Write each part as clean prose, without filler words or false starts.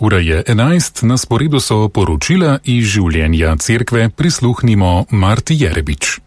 Ura je 11, na sporedu so poročila iz življenja cerkve, prisluhnimo Marti Jerebič.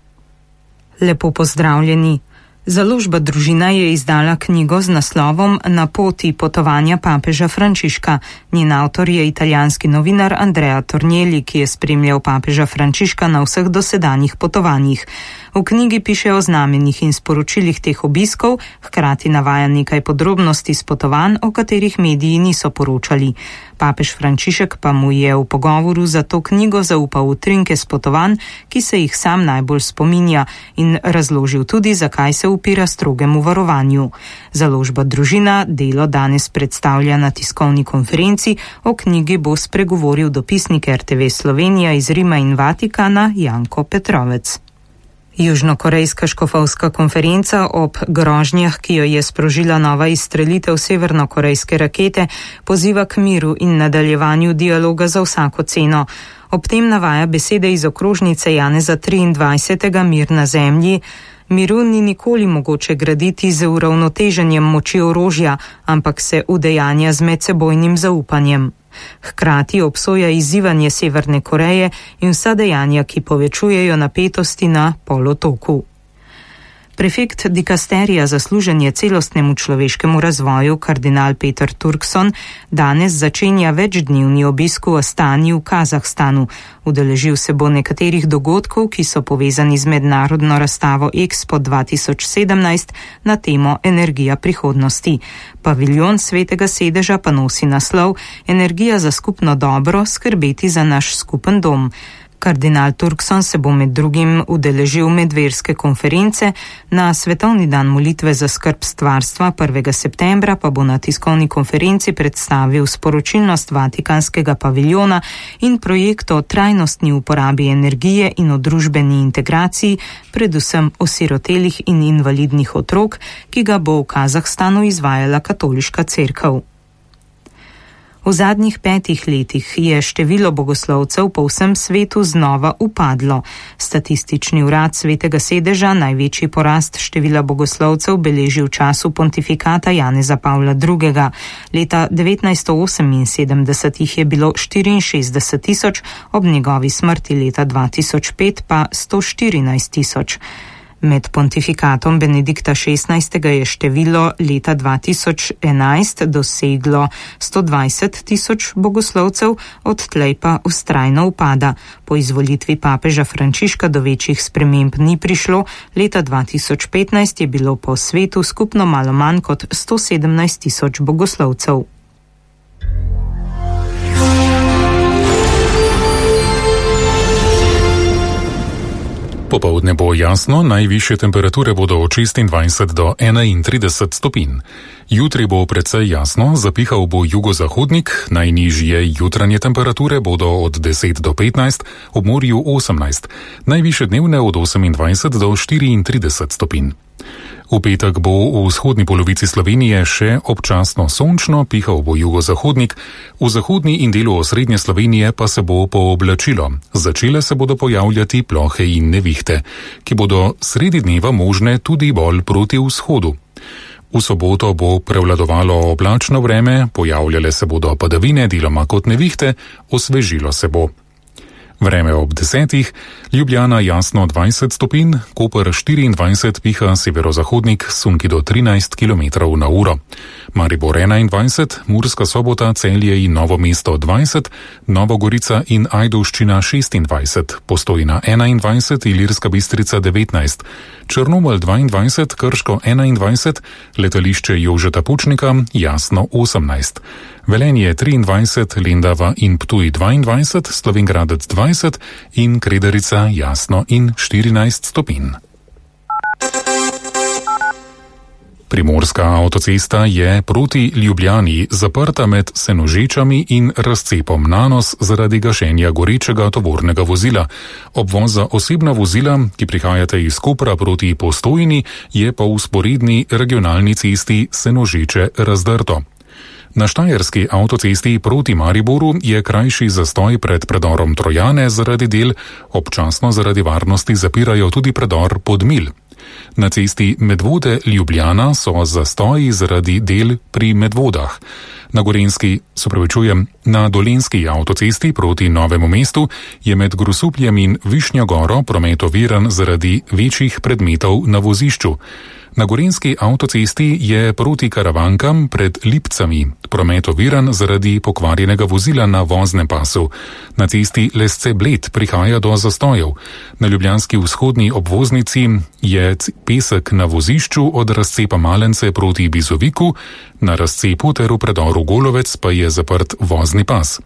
Lepo pozdravljeni. Založba Družina je izdala knjigo z naslovom Na poti potovanja papeža Frančiška. Njen avtor je italijanski novinar Andrea Tornielli, ki je spremljal papeža Frančiška na vseh dosedanjih potovanjih. V knjigi piše o znamenjih in sporočilih teh obiskov, hkrati navaja nekaj podrobnosti s potovanj, o katerih mediji niso poročali. Papež Frančišek pa mu je v pogovoru za to knjigo zaupal utrinke s potovanj, ki se jih sam najbolj spominja, in razložil tudi, zakaj se upira strogemu varovanju. Založba Družina delo danes predstavlja na tiskovni konferenci, o knjigi bo spregovoril dopisnik RTV Slovenija iz Rima in Vatikana Janko Petrovec. Južnokorejska škofovska konferenca ob grožnjah, ki jo je sprožila nova izstrelitev severnokorejske rakete, poziva k miru in nadaljevanju dialoga za vsako ceno. Ob tem navaja besede iz okrožnice Janeza 23. Mir na zemlji. Miru ni nikoli mogoče graditi z uravnoteženjem moči orožja, ampak se udejanja z medsebojnim zaupanjem. Hkrati obsoja izzivanje Severne Koreje in vsa dejanja, ki povečujejo napetosti na polotoku. Prefekt dikasterija za služenje celostnemu človeškemu razvoju, kardinal Peter Turkson, danes začenja večdnevni obisk v Astani v Kazahstanu. Udeležil se bo nekaterih dogodkov, ki so povezani z mednarodno razstavo Expo 2017 na temo Energija prihodnosti. Paviljon Svetega sedeža pa nosi naslov Energija za skupno dobro, skrbeti za naš skupen dom. Kardinal Turkson se bo med drugim udeležil medverske konference, na Svetovni dan molitve za skrb stvarstva 1. septembra pa bo na tiskovni konferenci predstavil sporočilnost Vatikanskega paviljona in projekt o trajnostni uporabi energije in o družbeni integraciji, predvsem osirotelih in invalidnih otrok, ki ga bo v Kazahstanu izvajala katoliška cerkev. V zadnjih 5 letih je število bogoslovcev po vsem svetu znova upadlo. Statistični urad Svetega sedeža največji porast števila bogoslovcev beleži v času pontifikata Janeza Pavla II. Leta 1978 jih je bilo 64 tisoč, ob njegovi smrti leta 2005 pa 114 tisoč. Med pontifikatom Benedikta XVI. Je število leta 2011 doseglo 120 tisoč bogoslovcev, odtlej pa vztrajno upada. Po izvolitvi papeža Frančiška do večjih sprememb ni prišlo, leta 2015 je bilo po svetu skupno malo manj kot 117 tisoč bogoslovcev. Popoldne bo jasno, najvišje temperature bodo od 26 do 31 stopinj. Jutri bo precej jasno, zapihal bo jugozahodnik, najnižje jutranje temperature bodo od 10 do 15, ob morju 18, najvišje dnevne od 28 do 34 stopinj. V petek bo v vzhodni polovici Slovenije še občasno sončno, pihal bo jugozahodnik, v zahodni in delu osrednje Slovenije pa se bo pooblačilo. Začele se bodo pojavljati plohe in nevihte, ki bodo sredi dneva možne tudi bolj proti vzhodu. V soboto bo prevladovalo oblačno vreme, pojavljale se bodo padavine, deloma kot nevihte, osvežilo se bo. Vreme ob 10, Ljubljana jasno 20 stopinj, Koper 24, piha severozahodnik, sunki do 13 km/h. Maribor 21, Murska Sobota, Celje in Novo mesto 20, Novogorica in Ajdovščina 26, Postojna 21, Ilirska Bistrica 19, Črnomelj 22, Krško 21, letališče Jožeta Pučnika jasno 18, Velenje 23, Lendava in Ptuj 22, Slovenjgradec 20 in Kredarica jasno in 14 stopinj. Primorska avtocesta je proti Ljubljani zaprta med Senožečami in razcepom Nanos zaradi gašenja gorečega tovornega vozila. Obvoz za osebna vozila, ki prihajate iz Kopra proti Postojni, je po vzporedni regionalni cesti Senožeče razdrto. Na štajerski avtocesti proti Mariboru je krajši zastoj pred predorom Trojane zaradi del, občasno zaradi varnosti zapirajo tudi predor Podmilj. Na cesti Medvode-Ljubljana so zastoji zaradi del pri Medvodah. Na Dolenjski avtocesti proti Novemu mestu je med Grosupljem in Višnjo Goro promet oviran zaradi večjih predmetov na vozišču. Na Gorenjski avtocesti je proti Karavankam pred Lipcami promet oviran zaradi pokvarjenega vozila na voznem pasu. Na cesti Lesce-Bled prihaja do zastojev. Na ljubljanski vzhodni obvoznici je pesek na vozišču od razcepa Malence proti Bizoviku, na razcepu ter v predoru Golovec pa je zaprt vozni pas.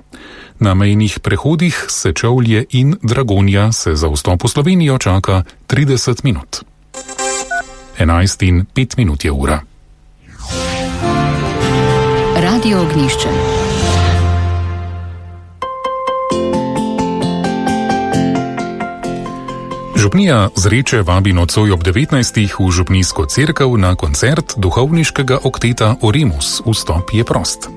Na mejnih prehodih Sečovlje in Dragonja se za vstop v Slovenijo čaka 30 minut. 11:05 je ura. Radio Ognjišče. Župnija Zreče vabi nocoj ob 19. v župnijsko cerkev na koncert duhovniškega okteta Oremus. Vstop je prost.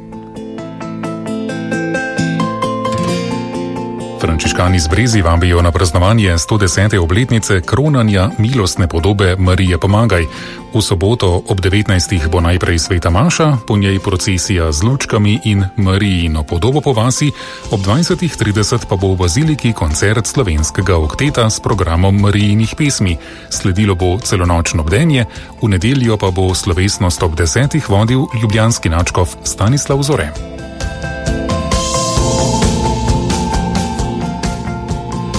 Frančiškani iz Brezi vabijo na praznovanje 110. obletnice kronanja milostne podobe Marije Pomagaj. V soboto ob 19. bo najprej sveta maša, po njej procesija z lučkami in Marijino podobo po vasi, ob 20:30 pa bo v baziliki koncert slovenskega okteta s programom Marijinih pesmi. Sledilo bo celonočno bdenje, v nedeljo pa bo slovesnost ob 10. vodil ljubljanski nadškof Stanislav Zore.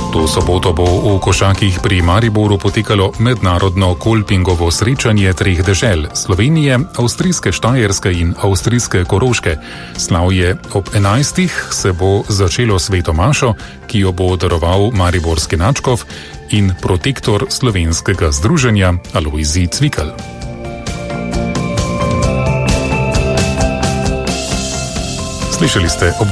To soboto bo v Košakih pri Mariboru potekalo mednarodno kolpingovo srečanje treh dežel Slovenije, avstrijske Štajerske in avstrijske Koroške. Slavje ob 11. se bo začelo sveto mašo, ki jo bo daroval mariborski nadškof in protektor slovenskega združenja Alojzij Cvikl. Slišali ste